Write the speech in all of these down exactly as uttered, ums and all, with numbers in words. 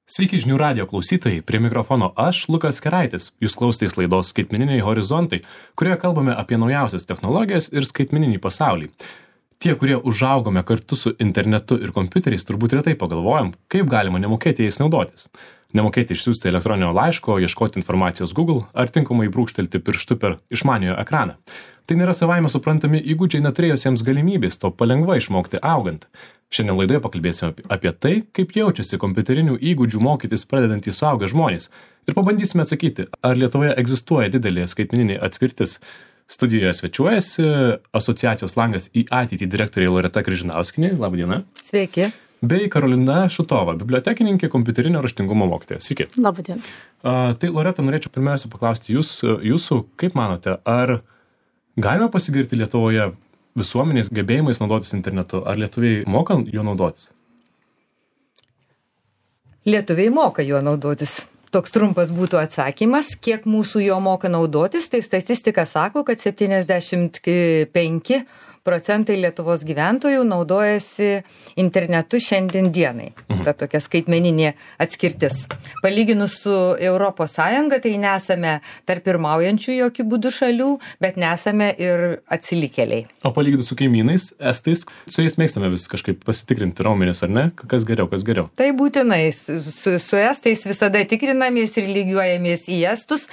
Sveiki žinių radijo klausytojai, prie mikrofono aš, Lukas Keraitis. Jūs klausotės laidos Skaitmeniniai horizontai, kurioje kalbame apie naujausias technologijas ir skaitmeninį pasaulį. Tie, kurie užaugome kartu su internetu ir kompiuteriais, turbūt retai pagalvojam, kaip galima nemokėti jais naudotis. Nemokėti išsiųsti elektroninio laiško, ieškoti informacijos Google ar tinkamai brūkštelti pirštu per išmaniojo ekraną. Tai nėra savaime suprantami įgūdžiai neturėjusiems galimybės to palengva išmokti augant. Šiandien laidoje pakalbėsime apie tai, kaip jaučiasi kompiuterinių įgūdžių mokytis pradedantys suaugę žmonės. Ir pabandysime atsakyti, ar Lietuvoje egzistuoja didelė skaitmeninė atskirtis. Studijoje svečiuojasi asociacijos Langas į ateitį direktorė Loreta Kryžinauskienė. Labą dieną. Sveiki. Bei Karolina Šutova, bibliotekininkė, kompiuterinio raštingumo mokytoja. Sveiki. Labą dieną. Uh, tai Loreta, norėčiau pirmiausia paklausti jūs, jūsų, kaip manote, ar galima pasigirti Lietuvoje visuomenės gebėjimais naudotis internetu? Ar lietuviai moka juo naudotis? Lietuviai moka juo naudotis. Toks trumpas būtų atsakymas, kiek mūsų jo moka naudotis, tai statistika sako, kad septyniasdešimt penki procentai Lietuvos gyventojų naudojasi internetu šiandien dienai. Mhm. Ta tokia skaitmeninė atskirtis. Palyginus su Europos Sąjunga, tai nesame tarp pirmaujančių jokių būdų šalių, bet nesame ir atsilikėliai. O palyginus su kaimynais, estais, su jais mėgstame vis kažkaip pasitikrinti raumenis, ar ne? Kas geriau, kas geriau? Tai būtinai. Su, su, su estais visada tikrinamės ir lygiuojamės į estus,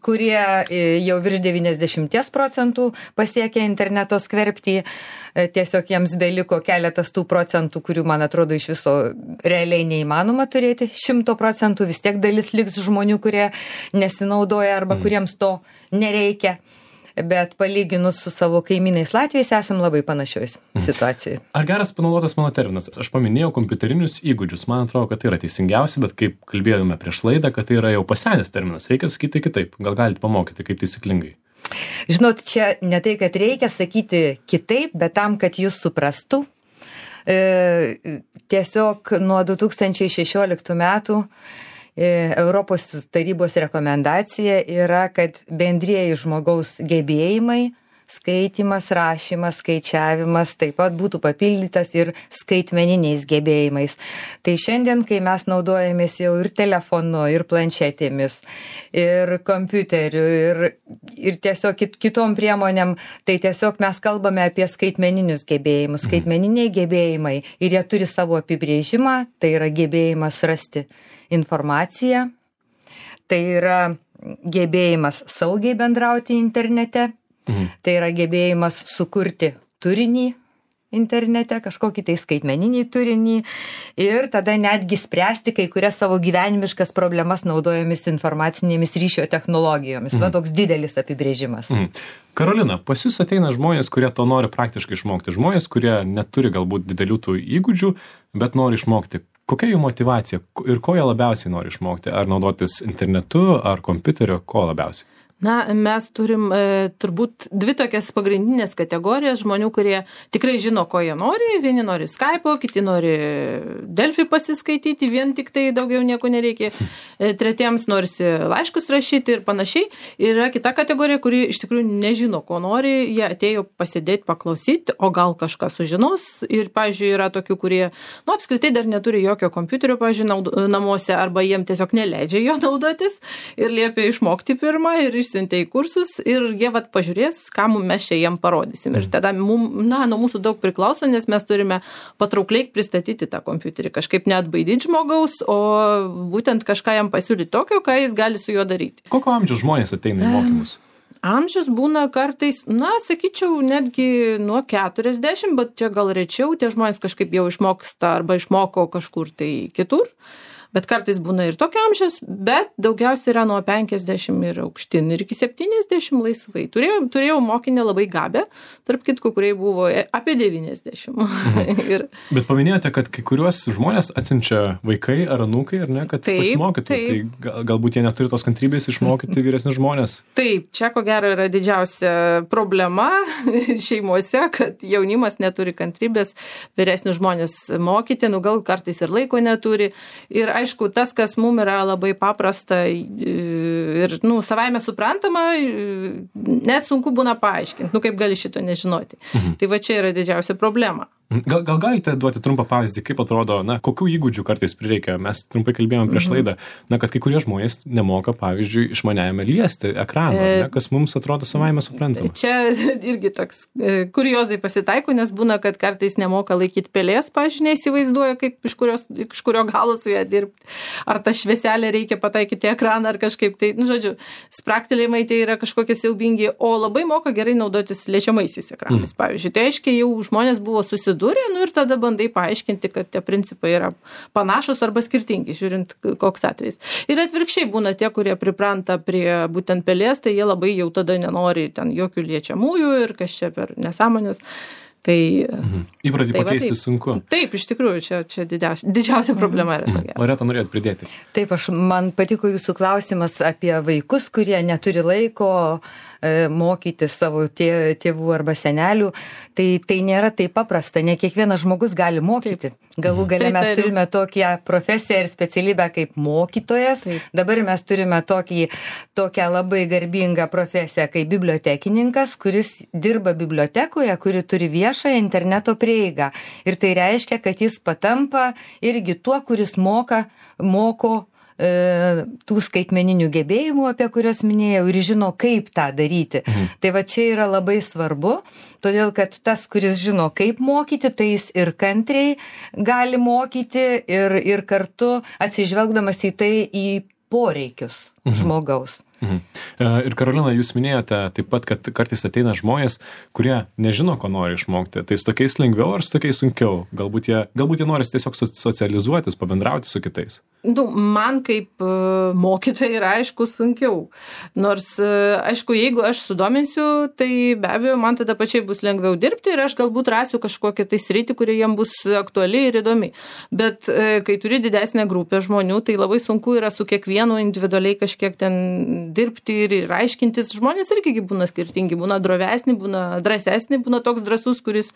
kurie jau virš devyniasdešimt procentų pasiekia interneto skverbti, tiesiog jiems beliko keletas tų procentų, kurių, man atrodo, iš viso realiai neįmanoma turėti. Šimto procentų vis tiek dalis liks žmonių, kurie nesinaudoja arba mm. kuriems to nereikia. Bet palyginus su savo kaimynais Latvijais esam labai panašioj situacijoje. Ar geras panaudotas mano terminas? Aš paminėjau kompiuterinius įgūdžius. Man atrodo, kad tai yra teisingiausia, bet kaip kalbėjome prieš laidą, kad tai yra jau pasenęs terminas. Reikia sakyti kitaip. Gal galite pamokyti, kaip taisyklingai? Žinot, čia ne tai, kad reikia sakyti kitaip, bet tam, kad jūs suprastų. E, tiesiog nuo du tūkstančiai šešioliktų metų Europos tarybos rekomendacija yra, kad bendrieji žmogaus gebėjimai, skaitymas, rašymas, skaičiavimas taip pat būtų papildytas ir skaitmeniniais gebėjimais. Tai šiandien, kai mes naudojamės jau ir telefonu, ir planšetėmis, ir kompiuteriu, ir, ir tiesiog kit, kitom priemonėm, tai tiesiog mes kalbame apie skaitmeninius gebėjimus. Skaitmeniniai gebėjimai ir jie turi savo apibrėžimą, tai yra gebėjimas rasti informaciją, tai yra gebėjimas saugiai bendrauti internete, mhm. tai yra gebėjimas sukurti turinį internete, kažkokį tai skaitmeninį turinį ir tada netgi spręsti kai kurias savo gyvenimiškas problemas naudojomis informacinėmis ryšio technologijomis. Mhm. Va toks didelis apibrėžimas. Mhm. Karolina, pas jūs ateina žmonės, kurie to nori praktiškai išmokti. Žmonės, kurie neturi galbūt didelių tų įgūdžių, bet nori išmokti. Kokia jų motyvacija ir ko jie labiausiai nori išmokti? Ar naudotis internetu, ar kompiuteriu, ko labiausiai? Na, mes turim e, turbūt dvi tokias pagrindinės kategorijas žmonių, kurie tikrai žino, ko jie nori. Vieni nori Skype'o, kiti nori Delfi pasiskaityti, vien tik tai daugiau nieko nereikia. E, tretiems norisi laiškus rašyti ir panašiai. Ir yra kita kategorija, kuri iš tikrųjų nežino, ko nori. Jie atėjo pasidėti, paklausyti, o gal kažką sužinos. Ir, pavyzdžiui, yra tokių, kurie, nu, apskritai dar neturi jokio kompiuterio, pavyzdžiui, namuose, arba jiem tiesiog neleidžia jo naudotis ir liepia išmokti pirmą ir iš siuntė į kursus ir jie vat pažiūrės, ką mes čia jiem parodysim. Ir tada mum, na, nuo mūsų daug priklauso, nes mes turime patraukliai pristatyti tą kompiuterį, kažkaip neatbaidyti žmogaus, o būtent kažką jam pasiūlyti tokio, ką jis gali su juo daryti. Kokio amžiaus žmonės ateina į mokymus? Amžius būna kartais, na, sakyčiau, netgi nuo keturiasdešimt, bet čia gal rečiau, tie žmonės kažkaip jau išmoksta arba išmoko kažkur tai kitur. Bet kartais būna ir tokio amžiaus, bet daugiausiai yra nuo penkiasdešimt ir aukštin ir iki septyniasdešimt laisvai. Turėjau, turėjau mokinę labai gabę, tarp kitko, kurie buvo apie devyniasdešimt. Mhm. ir... Bet paminėjote, kad kai kuriuos žmonės atsiunčia vaikai ar anūkai, ar ne, kad taip, pasimokytų. Taip. Tai gal, galbūt jie neturi tos kantrybės išmokyti vyresnius žmonės. Taip, čia ko gero yra didžiausia problema šeimose, kad jaunimas neturi kantrybės vyresnius žmonės mokyti, nu gal kartais ir laiko neturi. Ir aišku, tas, kas mums yra labai paprasta ir, nu, savaime suprantama, net sunku būna paaiškinti, nu, kaip gali šito nežinoti. Mhm. Tai va čia yra didžiausia problema. Gal, gal galite duoti trumpą pavyzdį, kaip atrodo, na, kokių įgūdžių kartais prireikia? Mes trumpai kalbėjome prieš laidą, na, kad kai kurie žmonės nemoka, pavyzdžiui, išmaniajame liesti ekraną, e, ne, kas mums atrodo savaime suprantama. Čia irgi toks e, kuriozai pasitaiko, nes būna, kad kartais nemoka laikyti pelės, pavyzdžiui, neįsivaizduoja, kaip iš, kurios, iš kurio galo su ją dirbti. Ar tą švieselę reikia pataikyti ekraną, ar kažkaip tai, nu, žodžiu, spraktelėjimai tai yra kažkokie siaubingi, o labai moka gerai naudotis liečiamaisiais ekranais, mm. pavyzdžiui. Tai aiškiai jau žmonės buvo susidūrę. Durė, nu ir tada bandai paaiškinti, kad tie principai yra panašus arba skirtingi, žiūrint koks atvejs. Ir atvirkščiai būna tie, kurie pripranta prie būtent pelės, tai jie labai jau tada nenori ten jokių liečiamųjų ir kas čia per nesąmonės. Tai, mhm. Įpratį tai pakeisti va, sunku. Taip, iš tikrųjų, čia, čia didžiausia, didžiausia problema yra. Mhm. Loreta, norėjot pridėti? Taip, aš, man patiko jūsų klausimas apie vaikus, kurie neturi laiko e, mokyti savo tė, tėvų arba senelių. Tai, tai nėra taip paprasta, ne kiekvienas žmogus gali mokyti. Galų gale mes turime tokią profesiją ir specialybę kaip mokytojas. Taip. Dabar mes turime tokį, tokią labai garbingą profesiją kaip bibliotekininkas, kuris dirba bibliotekoje, kuri turi viešą interneto prieigą. Ir tai reiškia, kad jis patampa irgi tuo, kuris moka, moko e, tų skaitmeninių gebėjimų, apie kurios minėjau, ir žino, kaip tą daryti. Mhm. Tai va čia yra labai svarbu, todėl kad tas, kuris žino, kaip mokyti, tai jis ir kantriai gali mokyti ir, ir kartu atsižvelgdamas į tai į poreikius mhm. žmogaus. Mhm. Ir Karolina, jūs minėjote taip pat, kad kartais ateina žmonės, kurie nežino, ko nori išmokti. Tai su tokiais lengviau ar su tokiais sunkiau? Galbūt jie, galbūt jie nori tiesiog socializuotis, pabendrauti su kitais. Nu, man kaip uh, mokytojai yra aišku sunkiau. Nors, uh, aišku, jeigu aš sudominsiu, tai be abejo, man tada pačiai bus lengviau dirbti ir aš galbūt rasiu kažkokią tai sritį, kuri jiem bus aktuali ir įdomi. Bet uh, kai turi didesnę grupę žmonių, tai labai sunku yra su kiekvienu individualiai kažkiek ten dirbti ir, ir aiškintis. Žmonės irgi būna skirtingi, būna drovesni, būna drąsesni, būna toks drąsus, kuris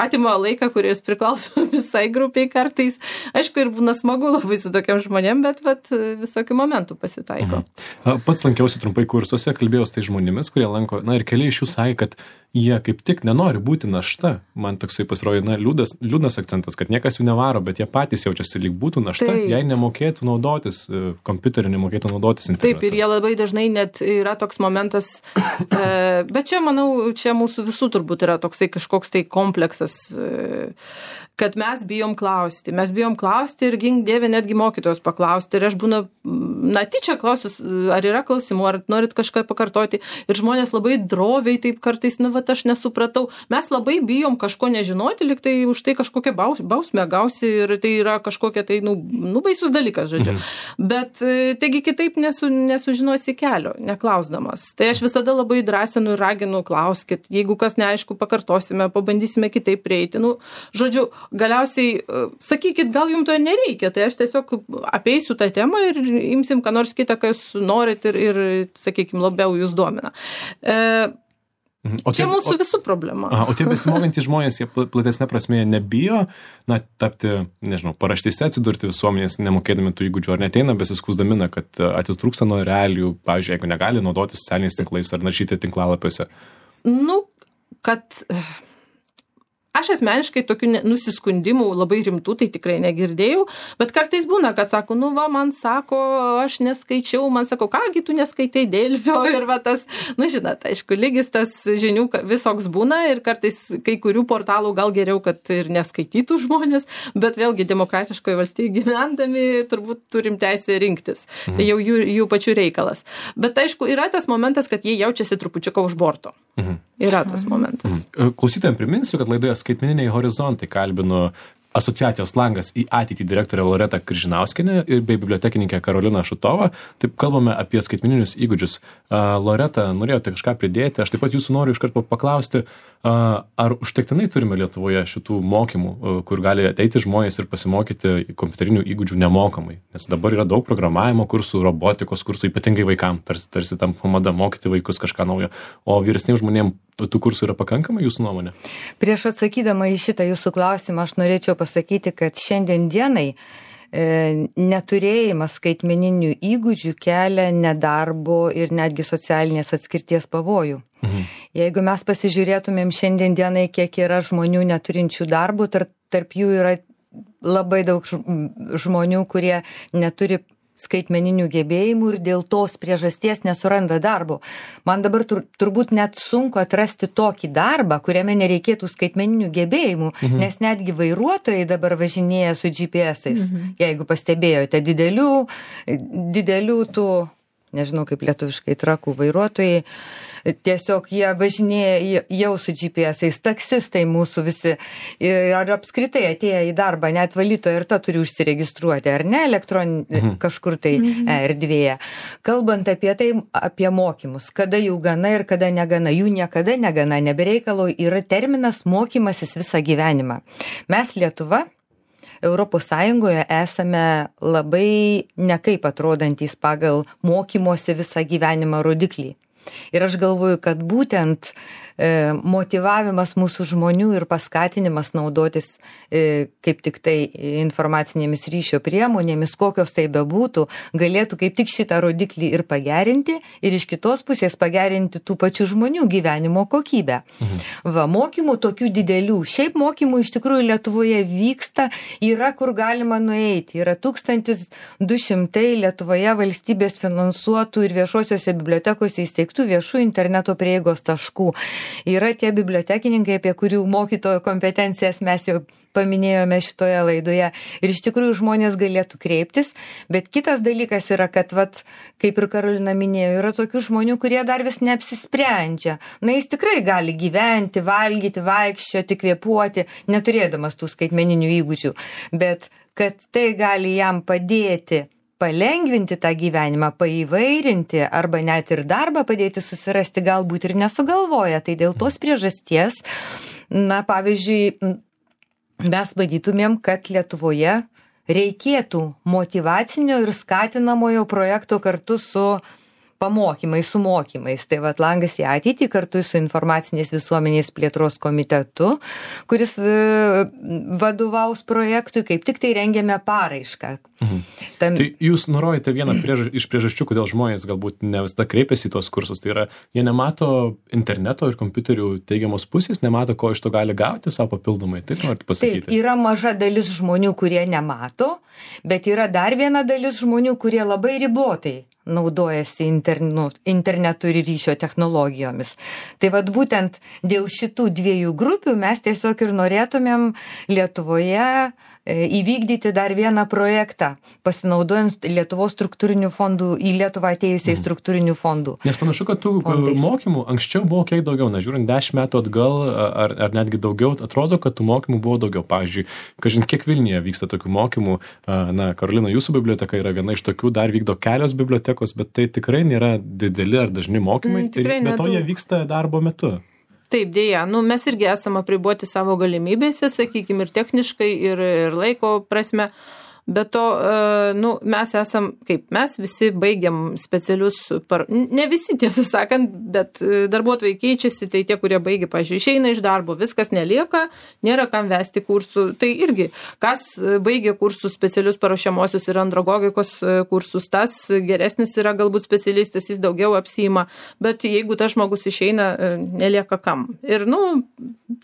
atima laiką, kuris priklauso visai grupiai kartais. Aišku, ir būna smagu labai su tokiam žmonėm, bet vat, visokių momentų pasitaiko. Mhm. Pats lankiausi trumpai kursuose, kalbėjau su tai žmonėmis, kurie lanko, na ir keli iš jų sakė, kad jie kaip tik nenori būti našta. Man toksai pasirodė, na, liūdas, liūdnas akcentas, kad niekas jų nevaro, bet jie patys jaučiasi lyg būtų našta, taip. Jei nemokėtų naudotis kompiuteriu, nemokėtų naudotis internetu. Taip, ir jie labai dažnai net yra toks momentas, e, bet čia, manau, čia mūsų visų turbūt yra toksai kažkoks tai kompleksas, e, kad mes bijom klausti. Mes bijom klausti ir gink dieve netgi mokytojos paklausti. Ir aš būnu, na, tyčia klausiu, ar yra klausimų, ar norit kažką pakartoti. Ir žmonės labai droviai taip kartais, na, va, aš nesupratau. Mes labai bijom kažko nežinoti, lyg tai už tai kažkokią baus, bausmę gausi ir tai yra kažkokia tai, nu, nu baisus dalykas, žodžiu. Mhm. Bet, taigi, kitaip nesu, nesužinosi kelio, neklausdamas. Tai aš visada labai drąsinu ir raginu, klauskit. Jeigu kas neaišku, pakartosime, pabandysime kitaip prieiti. Nu, žodžiu, galiausiai, sakykit, gal jums to nereikia, tai aš tiesiog apeisiu tą temą ir imsim, ką nors kitą, ką jūs norit ir, ir sakykim, labiau jūs domina. E, O čia tie, mūsų o, visų problema. Aha, o tie besimokantys žmonės, jie platesnė prasme nebijo, na, tapti, nežinau, paraštėse atsidurti visuomenės, nemokėdami tų įgūdžių, ar neteina besiskusdami, kad atitrūksta nuo realijų, pavyzdžiui, jeigu negali naudoti socialiniais tinklais ar naršyti tinklalapiuose. Nu, kad... Aš asmeniškai tokių nusiskundimų labai rimtų tai tikrai negirdėjau, bet kartais būna, kad sako, nu va, man sako, aš neskaičiau, man sako, kągi tu neskaitai Delfio ir va tas, nu žinot, aišku, lygis tas žinių visoks būna ir kartais kai kurių portalų gal geriau, kad ir neskaitytų žmonės, bet vėlgi demokratiškoje valstybėje gyvendami turbūt turim teisę rinktis. Mhm. Tai jau jų, jų pačių reikalas. Bet aišku, yra tas momentas, kad jie jaučiasi trupučiuką už borto. Mhm. Yra tas momentas. Mhm. Klausytojams priminsiu, kad laidoje Skaitmeniniai horizontai kalbinu asociacijos Langas į ateitį direktorę Loretą Kryžinauskienę ir bei bibliotekininkė Karolina Šutovą. Taip kalbame apie skaitmeninius įgūdžius. Loreta, norėjote kažką pridėti? Aš taip pat jūsų noriu iškart paklausti, ar užtektinai turime Lietuvoje šitų mokymų, kur gali ateiti žmonės ir pasimokyti kompiuterinių įgūdžių nemokamai? Nes dabar yra daug programavimo kursų, robotikos kursų, ypatingai vaikam, tarsi, tarsi tam pamada mokyti vaikus kažką naujo. O vyresniems žmonėms tų kursų yra pakankamai, jūsų nuomonė? Prieš atsakydama į šitą jūsų klausimą, aš norėčiau pasakyti, kad šiandien dienai neturėjimas skaitmeninių įgūdžių kelia nedarbo ir netgi socialinės atskirties pavojų. Mhm. Jeigu mes pasižiūrėtumėm šiandien dienai, kiek yra žmonių neturinčių darbų, tarp, tarp jų yra labai daug žmonių, kurie neturi skaitmeninių gebėjimų ir dėl tos priežasties nesuranda darbo. Man dabar tur, turbūt net sunku atrasti tokį darbą, kuriame nereikėtų skaitmeninių gebėjimų, mhm. nes netgi vairuotojai dabar važinėja su G P S-ais. Mhm. Jeigu pastebėjote, didelių, didelių tų, nežinau kaip lietuviškai, trakų vairuotojai, tiesiog jie važinėja jau su G P S-ais, taksistai mūsų visi, ar apskritai atėję į darbą, net valytoja ir ta turi užsiregistruoti, ar ne, elektroninį mhm. kažkur tai mhm. erdvėje. Kalbant apie tai, apie mokymus, kada jų gana ir kada negana, jų niekada negana, nebereikalo yra terminas mokymasis visą gyvenimą. Mes Lietuva Europos Sąjungoje esame labai nekaip atrodantys pagal mokymosi visą gyvenimą rodiklį. Ir aš galvoju, kad būtent e, motyvavimas mūsų žmonių ir paskatinimas naudotis e, kaip tik tai informacinėmis ryšio priemonėmis, kokios tai bebūtų, galėtų kaip tik šitą rodiklį ir pagerinti ir iš kitos pusės pagerinti tų pačių žmonių gyvenimo kokybę. Mhm. Va, mokymų tokių didelių. Šiaip mokymų iš tikrųjų Lietuvoje vyksta, yra kur galima nueiti. Yra tūkstantis du šimtai Lietuvoje valstybės finansuotų ir viešosiuose bibliotekose įsteigtų viešų interneto prieigos taškų. Yra tie bibliotekininkai, apie kurių mokytojo kompetencijas mes jau paminėjome šitoje laidoje. Ir iš tikrųjų žmonės galėtų kreiptis. Bet kitas dalykas yra, kad, vat, kaip ir Karolina minėjo, yra tokių žmonių, kurie dar vis neapsisprendžia. Na, jis tikrai gali gyventi, valgyti, vaikščioti, kvėpuoti, neturėdamas tų skaitmeninių įgūdžių. Bet kad tai gali jam padėti palengvinti tą gyvenimą, paįvairinti arba net ir darbą padėti susirasti, galbūt ir nesugalvoja. Tai dėl tos priežasties, na, pavyzdžiui, mes matytumėm, kad Lietuvoje reikėtų motyvacinio ir skatinamojo projekto kartu su pamokymais, su mokymais. Tai vat langas į ateitį kartu su informacinės visuomenės plėtros komitetu, kuris e, vadovaus projektui, kaip tik tai rengiame paraišką. Mhm. Tam... Tai jūs nurodėte vieną priež... iš priežasčių, kodėl žmonės galbūt ne visada kreipiasi į tos kursus. Tai yra, jie nemato interneto ir kompiuterių teigiamos pusės, nemato, ko iš to gali gauti savo papildomai. Taip norite pasakyti? Taip, yra maža dalis žmonių, kurie nemato, bet yra dar viena dalis žmonių, kurie labai ribotai naudojasi internu, internetu ir ryšio technologijomis. Tai vat būtent dėl šitų dviejų grupių mes tiesiog ir norėtumėm Lietuvoje įvykdyti dar vieną projektą, pasinaudojant Lietuvos struktūrinių fondų, į Lietuvą atėjusiai mhm. struktūrinių fondų. Nes panašu, kad tų fondais. Mokymų anksčiau buvo kiek daugiau, na, žiūrint dešimt metų atgal ar, ar netgi daugiau, atrodo, kad tų mokymų buvo daugiau. Pavyzdžiui, kažin kiek Vilniuje vyksta tokių mokymų, na, Karolina, jūsų biblioteka yra viena iš tokių, dar vykdo kelios bibliotekos, bet tai tikrai nėra dideli ar dažni mokymai, mm, tai be to jie vyksta darbo metu. Taip, dėja, nu, mes irgi esame apriboti savo galimybėse, sakykime, ir techniškai, ir, ir laiko prasme. Bet to, nu, mes esam, kaip mes visi baigiam specialius, par... ne visi tiesą sakant, bet darbuotojai keičiasi, tai tie, kurie baigia, pažiūrėjau, išeina iš darbo, viskas nelieka, nėra kam vesti kursų. Tai irgi, kas baigia kursus specialius paruošiamosius ir andragogikos kursus, tas geresnis yra galbūt specialistas, jis daugiau apsiima, bet jeigu tas žmogus išeina, nelieka kam. Ir, nu,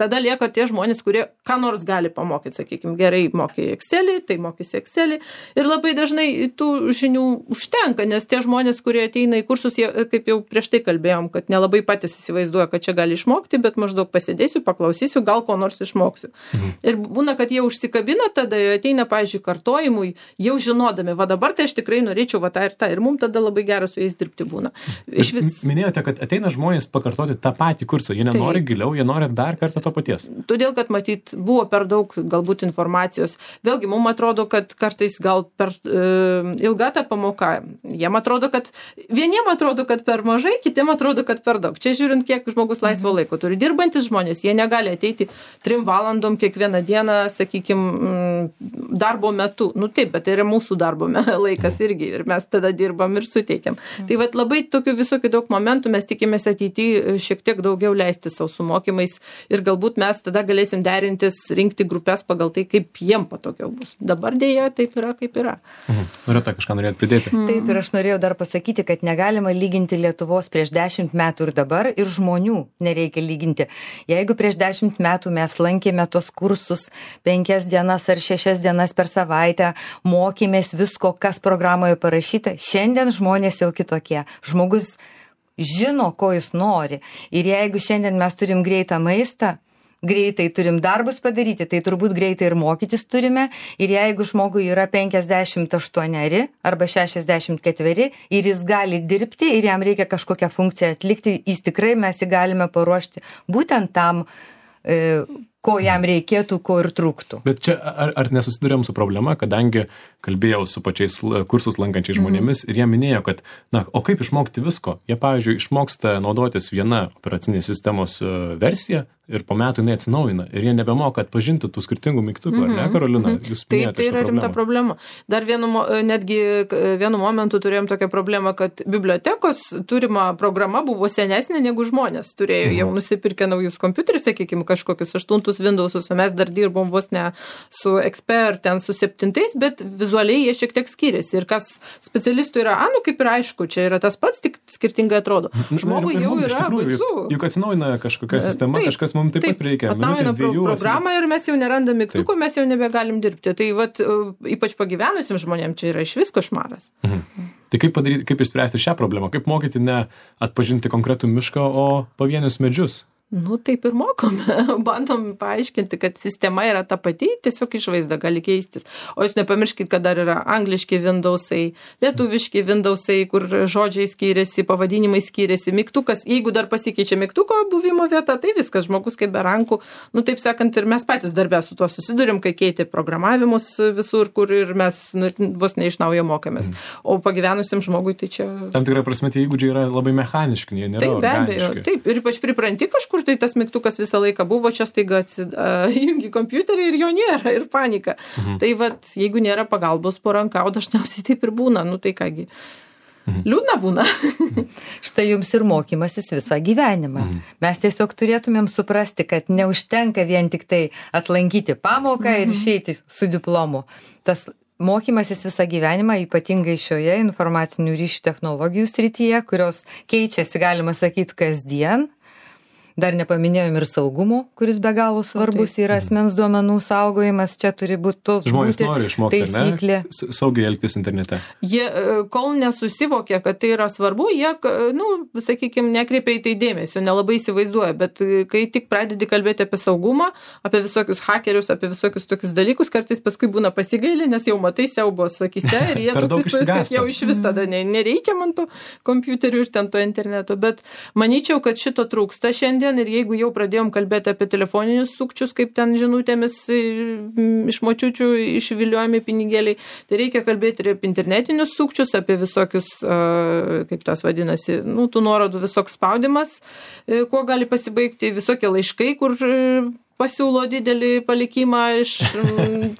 tada lieka tie žmonės, kurie ką nors gali pamokyti, sakykime, gerai mokė Excelį, tai mokysi Excelį. Ir labai dažnai tų žinių užtenka, nes tie žmonės, kurie ateina į kursus, jie, kaip jau prieš tai kalbėjom, kad nelabai patys įsivaizduoja, kad čia gali išmokti, bet maždaug pasidėsiu, paklausysiu, gal ko nors išmoksiu. Mhm. Ir būna, kad jie užsikabina, tada ateina, pavyzdžiui, kartojimui, jau žinodami, va dabar tai aš tikrai norėčiau va tą ir tą, ir mums tada labai gerai su jais dirbti būna. Iš vis... Minėjote, kad ateina žmonės pakartoti tą patį kursą, jie nenori tai... giliau, jie nori dar kartą to paties. Todėl, kad matyt, buvo per daug galbūt informacijos. Vėlgi, mums atrodo, kad kartais gal per e, ilga ta pamoka. Jiem atrodo, kad vieniem atrodo, kad per mažai, kitiem atrodo, kad per daug. Čia žiūrint, kiek žmogus laisvo laiko turi. Dirbantis žmonės, jie negali ateiti trim valandom kiekvieną dieną, sakykime, darbo metu. Nu taip, bet tai yra mūsų darbo laikas irgi ir mes tada dirbam ir suteikiam. Tai vat labai tokių visokių daug momentų mes tikimės ateityje šiek tiek daugiau leisti savo su mokymais ir galbūt mes tada galėsim derintis, rinkti grupės pagal tai, kaip jiem patogiau bus. Dabar dėja taip yra, kaip yra. Mhm. Norėta kažką norėt pridėti. Mhm. Taip, ir aš norėjau dar pasakyti, kad negalima lyginti Lietuvos prieš dešimt metų ir dabar, ir žmonių nereikia lyginti. Jeigu prieš dešimt metų mes lankėme tos kursus penkias dienas ar šešias dienas per savaitę, mokėmės visko, kas programoje parašyta, šiandien žmonės jau kitokie. Žmogus žino, ko jis nori. Ir jeigu šiandien mes turim greitą maistą, greitai turim darbus padaryti, tai turbūt greitai ir mokytis turime. Ir jeigu žmogui yra penkiasdešimt aštuoneri arba šešiasdešimt ketveri ir jis gali dirbti ir jam reikia kažkokią funkciją atlikti, jis tikrai mes jį galime paruošti būtent tam, e, ko jam reikėtų, ko ir trūktų. Bet čia ar, ar nesusidurėm su problema, kadangi kalbėjau su pačiais kursus lankančiais žmonėmis mm. ir jie minėjo, kad, na, o kaip išmokti visko? Jie, pavyzdžiui, išmoksta naudotis viena operacinės sistemos versija ir po metų jinai atsinaujina ir jie nebemoka atpažinti tų skirtingų mygtukų, mm-hmm. ar ne, Karolina? Jūs Taip, tai yra rimta problema. Dar vienu, netgi vienu momentu turėjom tokią problemą, kad bibliotekos turima programa buvo senesnė negu žmonės. Turėjo mm-hmm. jau nusipirkę naujus kompiuterius, sakykime, kažkokius aštuntus Windowsus, o mes dar dirbom vos ne su X P ar ten su septintais, bet vizualiai jie šiek tiek skiriasi. Ir kas specialistų yra, a, nu kaip ir aišku, čia yra tas pats, tik skirtingai atrodo. Žmogui jau yra baisu. Juk atsinaujina kažkokia sistema, taip, kažkas mums taip, taip pat reikia. Atnaujina pro, programą ir mes jau nerandam mygtukų, mes jau nebegalim dirbti. Tai vat, ypač pagyvenusiam žmonėm čia yra iš vis košmaras. Mhm. Tai kaip padaryti, kaip išspręsti šią problemą? Kaip mokyti ne atpažinti konkretų mišką, o pavienius medžius? Nu, taip ir mokome. Bandom paaiškinti, kad sistema yra ta pati, tiesiog išvaizda gali keistis. O jūs nepamirškit, kad dar yra angliški Windowsai, lietuviški Windowsai, kur žodžiai skiriasi, pavadinimai skiriasi, mygtukas. Jeigu dar pasikeičia mygtuko buvimo vieta, tai viskas, žmogus kaip be rankų. Nu, taip sakant, ir mes patys darbę su tuo susidurim, kai keitė programavimus visur, kur ir mes nu, vos ne iš naujo mokomės. Mm. O pagyvenusiam žmogui tai čia... Tam tikrai prasme, tie įgūdžiai yra labai mechaniški, jie nėra taip, organiški. Be abejo, taip, ir ypač pripranti kažkur, tai tas mygtukas visą laiką buvo, čia staiga įjungi kompiuterį ir jo nėra, ir panika. Mhm. Tai vat, jeigu nėra pagalbos po ranka, o dažniausiai taip ir būna, nu tai kągi, mhm. liūdna būna. Štai jums ir mokymasis visą gyvenimą. Mhm. Mes tiesiog turėtumėm suprasti, kad neužtenka vien tik tai atlankyti pamoką mhm. ir išeiti su diplomu. Tas mokymasis visą gyvenimą, ypatingai šioje informacinių ryšių technologijų srityje, kurios keičiasi, galima sakyti, kasdien. Dar nepaminėjom ir saugumo, kuris be galo svarbus yra asmens duomenų saugojimas. Čia turi būti toks žmonės nori išmokti, taisyklė. Ne? Saugiai elgtis internete. Jie, kol nesusivokia, kad tai yra svarbu, jie, nu, sakykime, nekreipia į tai dėmesio, nelabai įsivaizduoja, bet kai tik pradedi kalbėti apie saugumą, apie visokius hakerius, apie visokius tokius dalykus, kartais paskui būna pasigailę, nes jau matai siaubos akyse ir jie toks įspūdis, kad jau iš vis tada nereikia man to kompiuterių ir ten to interneto. Bet manyčiau, kad šito trūksta šiandien. Ir jeigu jau pradėjom kalbėti apie telefoninius sukčius, kaip ten žinutėmis iš močiučių išviliojami pinigėliai, tai reikia kalbėti ir apie internetinius sukčius, apie visokius, kaip tas vadinasi, nu, tų nuorodų visoks spaudimas, kuo gali pasibaigti, visokie laiškai, kur pasiūlo didelį palikimą iš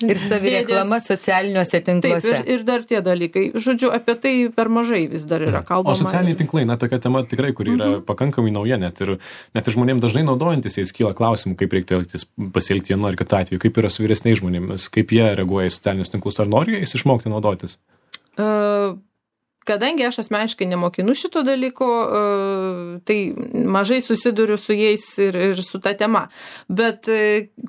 ir savireklama socialiniuose tinkluose. Taip, ir, ir dar tie dalykai. Žodžiu, apie tai per mažai vis dar yra kalbama. O socialiniai tinklai, na, tokia tema tikrai, kuri yra uh-huh. pakankamai nauja, net ir, net ir žmonėms dažnai naudojantis, jais kyla klausimų, kaip reiktų elgtis, pasielgti vienu ar kitu atveju, kaip yra su vyresniais žmonėmis, kaip jie reaguoja į socialinius tinklus, ar nori jais išmokti naudotis? Uh... Kadangi aš asmeniškai nemokinu šito dalyko, tai mažai susiduriu su jais ir, ir su ta tema. Bet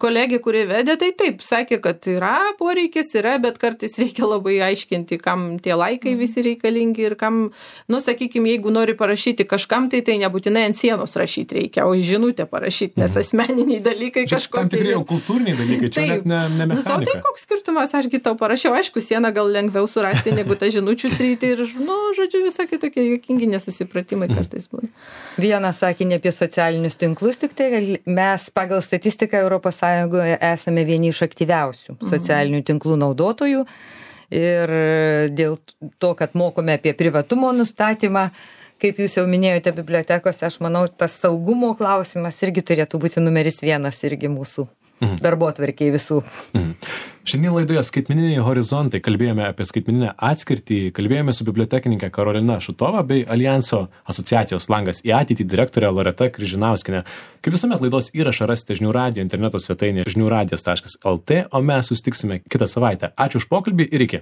kolegė, kurie vedė, tai taip, sakė, kad yra poreikis, yra, bet kartais reikia labai aiškinti, kam tie laikai visi reikalingi ir kam, nu, sakykime, jeigu nori parašyti kažkam, tai tai nebūtinai ant sienos rašyti reikia, o į žinutę parašyti, nes asmeniniai dalykai kažkokie. Tam tikrai jau kultūriniai dalykai, čia taip, net ne, ne mechanika. Nu, tai koks skirtumas, ašgi tau parašiau, aišku, sieną gal lengviau surasti negu tą žinučių sritį ir nu, žodžiu, visokie tokie juokingi nesusipratimai kartais būna. Vieną sakinį apie socialinius tinklus, tik tai mes pagal statistiką Europos Sąjungoje esame vieni iš aktyviausių socialinių tinklų naudotojų ir dėl to, kad mokome apie privatumo nustatymą, kaip jūs jau minėjote bibliotekose, aš manau, tas saugumo klausimas irgi turėtų būti numeris vienas irgi mūsų mhm. darbotvarkėj visų. Mhm. Šiandien laidoje Skaitmeniniai horizontai kalbėjome apie skaitmeninę atskirtį, kalbėjome su bibliotekininkė Karolina Šutova bei Alijanso asociacijos Langas į ateitį direktorė Loreta Kryžinauskienė. Kaip visuomet laidos įrašą rasite žinių radijo interneto svetainėje žinių radijas taškas el tė, o mes susitiksime kitą savaitę. Ačiū už pokalbį ir iki.